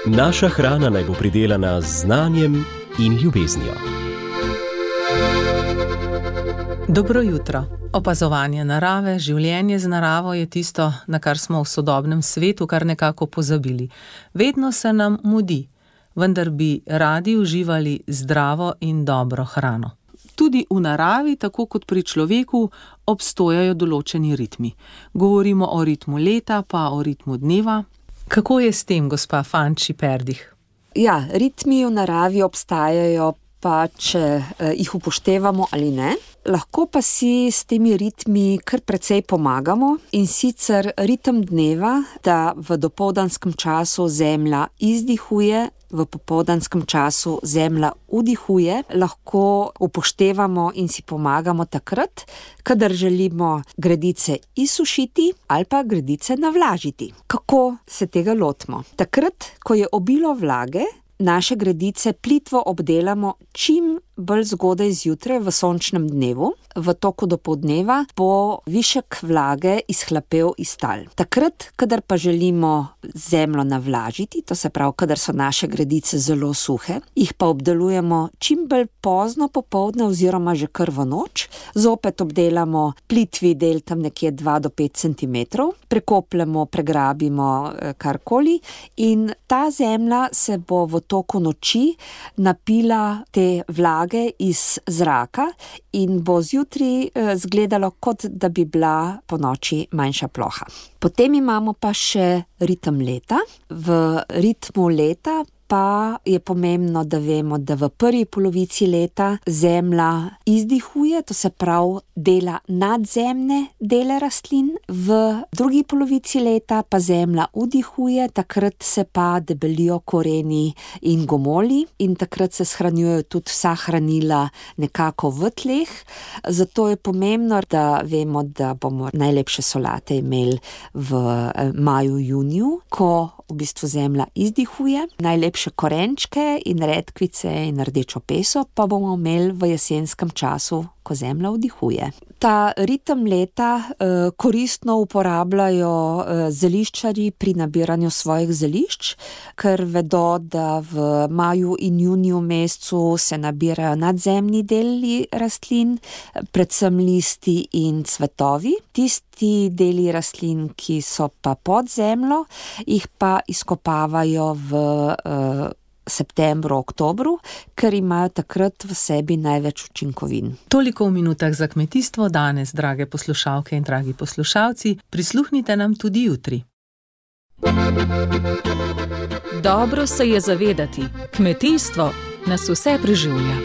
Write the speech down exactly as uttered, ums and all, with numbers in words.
Naša hrana naj bo pridelana z znanjem in ljubeznijo. Dobro jutro. Opazovanje narave, življenje z naravo je tisto, na kar smo v sodobnem svetu kar nekako pozabili. Vedno se nam mudi, vendar bi radi uživali zdravo in dobro hrano. Tudi v naravi, tako kot pri človeku, obstojajo določeni ritmi. Govorimo o ritmu leta, pa o ritmu dneva. Kako je s tem, gospa Fanči Perdih? Ja, ritmi v naravi obstajajo, pa če eh, jih upoštevamo ali ne. Lahko pa si s temi ritmi kar precej pomagamo, in sicer ritem dneva, da v dopoldanskem času zemlja izdihuje, v popoldanskem času zemlja vdihuje, lahko upoštevamo in si pomagamo takrat, kadar želimo gredice izsušiti ali pa gredice navlažiti. Kako se tega lotimo? Takrat, ko je obilo vlage, naše gredice plitvo obdelamo čim bolj zgodaj zjutraj v sončnem dnevu. V toku dopoldneva bo višek vlage izhlapel iz tal. Takrat, kadar pa želimo zemljo navlažiti, to se pravi, kadar so naše gredice zelo suhe, jih pa obdelujemo čim bolj pozno popoldne oziroma že kar v noč. Zopet obdelamo plitvi del tam nekje dva do pet centimetrov, prekopljemo, pregrabimo karkoli in ta zemlja se bo v toku noči napila te vlage iz zraka in bo zjutri zgledalo, kot da bi bila po noči manjša ploha. Potem imamo pa še ritem leta. V ritmu leta pa je pomembno, da vemo, da v prvi polovici leta zemlja izdihuje, to se pravi dela nadzemne dele rastlin, v drugi polovici leta pa zemlja vdihuje, takrat se pa debelijo koreni in gomolji in takrat se shranjujejo tudi vsa hranila nekako v tleh. Zato je pomembno, da vemo, da bomo najlepše solate imeli v maju, juniju, ko v bistvu zemlja izdihuje. Najlepše korenčke in redkvice in rdečo peso pa bomo imeli v jesenskem času, ko zemlja vdihuje. Ta ritem leta eh, koristno uporabljajo eh, zeliščarji pri nabiranju svojih zelišč, ker vedo, da v maju in juniju mesecu se nabirajo nadzemni deli rastlin, predvsem listi in cvetovi. Tisti deli rastlin, ki so pa pod zemljo, jih pa izkopavajo v eh, septembru, oktobru, ker imajo takrat v sebi največ učinkovin. Toliko v minutah za kmetijstvo danes, drage poslušalke in dragi poslušalci. Prisluhnite nam tudi jutri. Dobro se je zavedati, kmetijstvo nas vse preživlja.